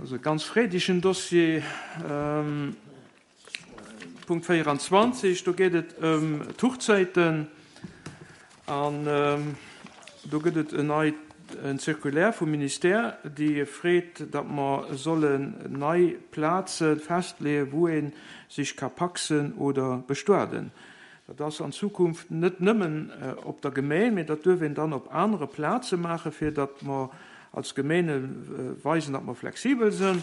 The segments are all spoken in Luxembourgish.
Also e ganz freedegen Dossier. Punkt 24, do geet et ëm d'Hochzäiten an do gëtt et en neit en Circulaire vum Ministère, déi freet, datt mer sollen nei Plaze festleeën, wou ee sech ka pacsen oder bestuaden. Dat ass an Zukunft net nëmmen op der Gemeen, mee dat duerf een dann op anere Plaze maachen, fir datt mer als Gemeene weisen, datt mer flexibel sënn.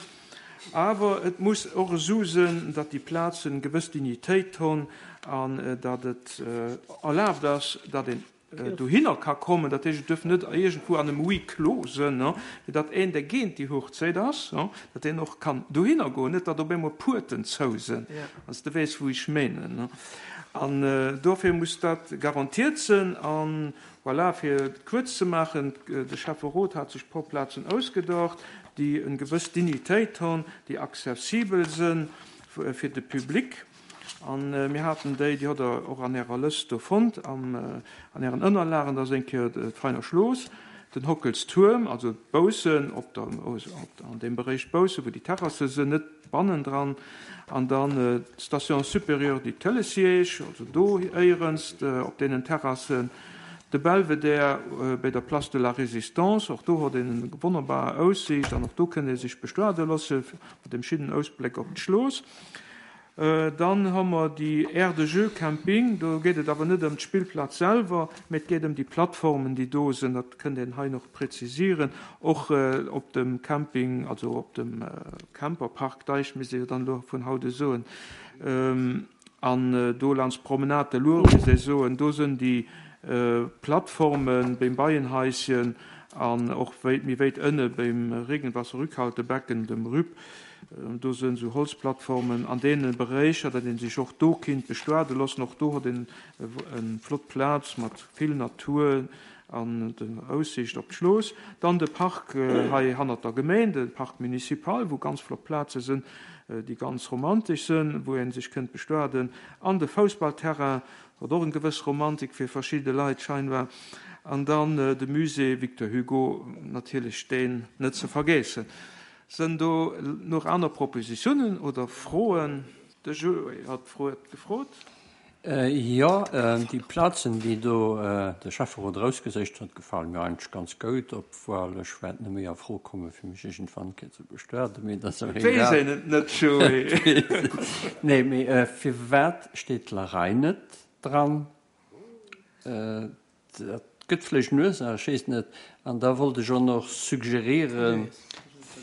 Awer et muss och esou sënn, datt déi Plazen gewëss Dignitéit honn an datt et erlaabt ass, datt een dohinner ka kommen, dat heescht, et duerf net iergendwou an em Huis clos sënn, fir datt een, dee géint déi Hochzéit ass, datt deen och kann dohinner goen, net datt op eemol d'Puerten zou sënn, wann s de weess, wou ech menen. An dofir muss dat garantiert sënn. An voilà, fir et kuerz ze maachen, de Schäfferot hat sech e puer Plazen ausgedacht, déi en gewëss Dignitéit honn, déi accessibel sënn fir de Public. An mir haten déi, déi hutt Der och an Ärer Lëscht do fonnt, an Ären Ënnerlagen, dat ass eng Kéier d'Veiner Schlooss, den Hockelstuerm, also d'Boussen op der, an deem Beréich Boussen, wou déi Terrasse sinn, net bannendran, an dann d'Station supérieure du Télésiège, also do éierens op deenen Terrassen, de Belvedere béi der Place de la Résistance, och do huet een eng wonnerbar Aussiicht an och do kënnt ee sech bestuade loosse mat deem schinnen Ausbléck op d'Schlooss. Dann hu mer déi Aire de jeux Camping. Do geet et awer net ëm d'Spillplaz selwer, mee et geet ëm déi Plattformen, déi do sinn. Dat kënnt een hei nach prezisieren. Och op dem Camping, also op dem Camperpark Deich, misst ee jo dann elo vun haut u soen, an do laanscht d'Promenade de l'Our, misst ee soen, do sinn déi Plattforme beim Beienhaischen an och méi wéit ënne beim Regenwasserrückhaltebecken, dem RÜB. Do sënn esou Holzplattformen an deene Beréicher, datt ee sech och do kinnt bestuade loossen. Och do huet een en flott Plaz mat vill Natur an der Aussiicht op d'Schlooss. Dann de Park hei hannert der Gemeen, de Parc municipal, wou ganz flott Plaze sënn, déi ganz romantesch sënn, wou ee sech kënnt bestuaden. An de Foussballterrain huet och en gewëss Romantik fir verschidde Leit scheinbar. An dann de Musée Victor Hugo, natierlech deen net ze vergeessen. Sënn do nach aner Propositionen oder Froen? De Joé hat d'Wuert gefrot. Jo, déi Plazen, déi do de Schäfferot erausgeséicht huet, gefale mir eigentlech ganz goud, obwuel ech wäert net méi a Fro komme fir mech iergendwann eng Kéier ze bestuaden, mee dat ass awer Et weess egal. een et net, Joé. Nee, mee firwat steet d'Larei net dran? Dat gëtt vläicht en Ursaach, ech weess net. An da wollt ech och nach suggerieren,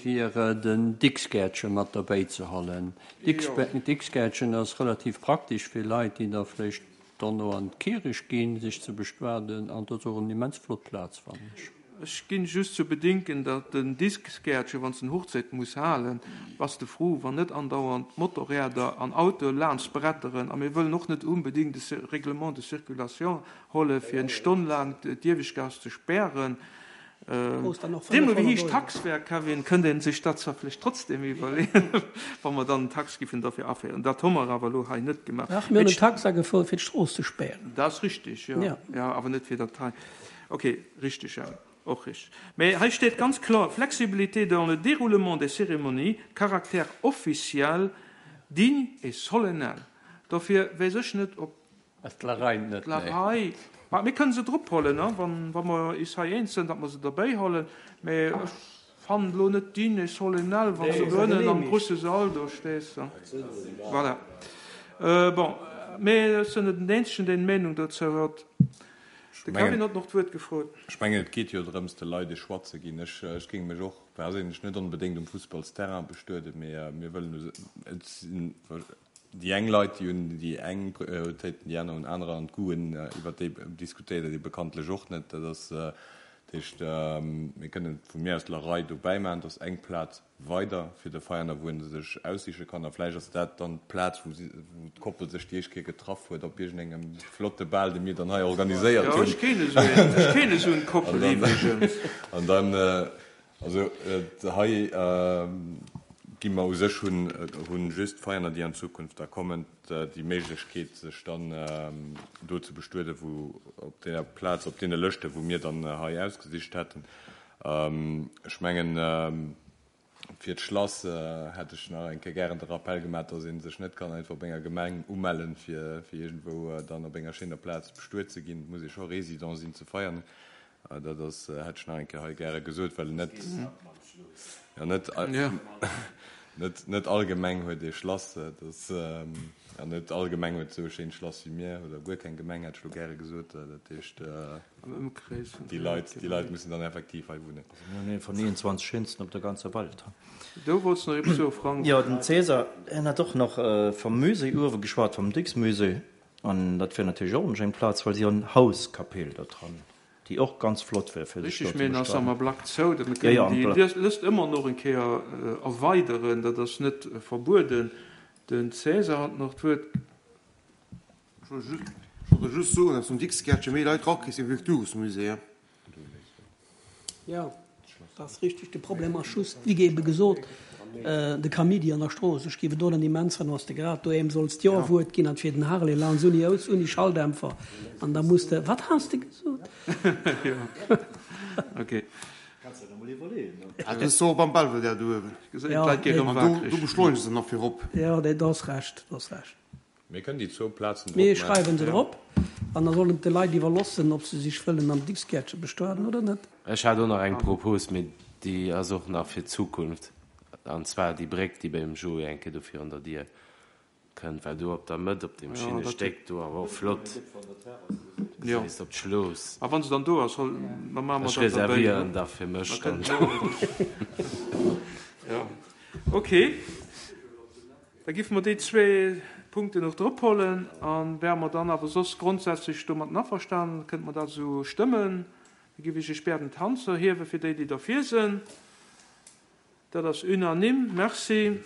fir den Dixgäertche mat derbäi ze hollen. Dixgäertchen ass relativ praktesch fir Leit, déi da vläicht dono an d'Kierech ginn, sech ze bestuaden. An dat ass och en immens flott Plaz, fannen ech. Ech ginn just zu bedinken, datt den Disksgäertchen, wann s en Hochzéit muss halen, bass de fru, wann net andauernd Motorräder an Autoe laanscht bretteren. A mir wëllen och net unbedingt e Règlement de circulation holle fir eng Stonn laang d'Ieweschtgaass ze spären. Deemno wéi héich d'Tax wär, Kevin, kënnt ee sech dat zwar vläicht trotzdem iwwerleeën, wa mer dann en Tax giffen derfir aféieren. Dat hu mer awer elo hei net gemaach. Dach, mir hunn en Tax agefouert, fir d'Strooss ze spären. Dat ass richtig, jo. Jo, awer net fir dat hei. Ok, richteg, ja, och richteg. Mä hei steet ganz kloer, Flexibilité dans le déroulement des cérémonies, caractère officiel, digne et solennel. Dofir weess ech net, ob Ass d'Larei net, nee. D'Larei, ma mir kënne se drophollen, wa mer is hei eens sinn, datt mer se derbäihollen. Mä ech fannen elo net digne et solennel, wann s de do ënnen am grusse Sall do stees. Voilà. Bon, mä ech sinn net den Eenzegen, deen Meenung dozou huet. De Kevin huet nach d'Wuert gefrot. Ech mengen, et geet jo drëms, de Leit e Choix ze ginn. Ech, ech géing mech och perséinlech net onbedéngt um Fussballsterrain bestueden, mee mir wëllen u, et sinn déi eng Leit, déi hunn déi eng Prioritéiten, déi aner hunn anerer an d'Goûten, iwwert déi diskutéiert ee bekanntlech och net. Dat ass, dat heescht, mir kënnen vu mir aus d'Lerei dobäi maachen, dass eng Plaz weider fir de Veierner, wou en se sech aussiche kann. A vläicht ass dat dann d'Plaz, wou si, wou d'Koppel sech déi éischt Kéier getraff huet op iergendengem flotte Bal, dee mir dann hei organiséiert hunn. Jo, ech keen esou een, ech keen esou en Koppel iwwregens. An dann, also hei gi mer u sech, hunn, hunn just d'Veierner, déi an Zukunft da kommen, déi Méiglechkeet, sech dann do ze bestueden, wou op deeër Plaz, op deene Lëschten, wou mir dann hei ausgesicht hätten. Ech mengen. Fir d'Schlass hätt ech nach eng Kéier gären de Rappell gemaach, dass ee sech net kann einfach op enger Gemeng umellen, fir iergendwou dann op enger schéiner Plaz bestuet ze ginn. Et muss ee scho Résident sinn zu Veianen. Dat ass, hätt ech nach eng Kéier hei gäre gesot, well net, jo, net, net, net all Gemeng huet ee Schlass. Dat ass, an net all Gemeng huet esou e schéint Schlass wéi mir, oder guer keng Gemeng, hätt ech elo gäre gesot. Dat heescht. Am Ëmkrees vun Déi Leit, déi Leit mussen dann effektiv hei wunnen. Also mir hunn ee vun 29 schéinsten op der ganzer Welt. Do wollts nach eppes soen, Frank? Jo, den Cäsar, hien hat och nach vum Musée uewe geschwat, vum Dicks-Musée. An dat wier natierlech och eng schéin Plaz, well si hunn Hauskapell do dran, déi och ganz flott wär fir sech do Richtig, ze mee en ass am bestatten. Ablack zou. Dat mir Jo, jo, kënnen am déi Ablack. Lëscht ëmmer nach eng Kéier erweideren, dat ass net verbueden. Den Cäsar hat nach d'Wuert. Ech wollt just soen, dass um Dixgäertche méi Leit rakriss wéi am Kulturhusmusée. Jo, dat ass richteg. De Problem ass just, wéi ebe gesot, de Kamidi an der Strooss. Ech géif et och net immens fannen, wann s de grad do eem solls d'Jo-Wuert ginn an et wier den Harley Lanz ouni Ous, ouni Schalldämpfer an da muss de, Wat has de gesot? Jo, ok. Dat ass och beim Belvedere do uewen. An do beschleunege se nach virop. Jo, do has Recht, do has Recht. Mir kënnen déi zwou Plazen drop Mir maachen. schreiwen se drop an da sollen et de Leit iwwerlossen, ob se sech wëllen am Dixgäertche bestueden oder net. Ech hat och nach eng Propos, mee déi ass och nach fir d'Zukunft, an zwar déi Bréck, déi beim Joé eng Kéier do virun der Dier kënnt, well do op der Mëtt op deem Schinnestéck do awer och flott gesäis op d'Schlooss. A wann se dann do ass, da maache mer Ech dat derbäi. reservieren da fir mech dann do. Jo, ok. Da giffe mer déi zwee Punkten och drop hollen. A wäre mer dann awer soss grondsätzlech domatten averstanen, kënnte mer dat esou stëmmen. Da giff ech iech bäerden d'Hand ze erhiewen, fir déi, déi derfir sinn. Dat ass unanime. Merci.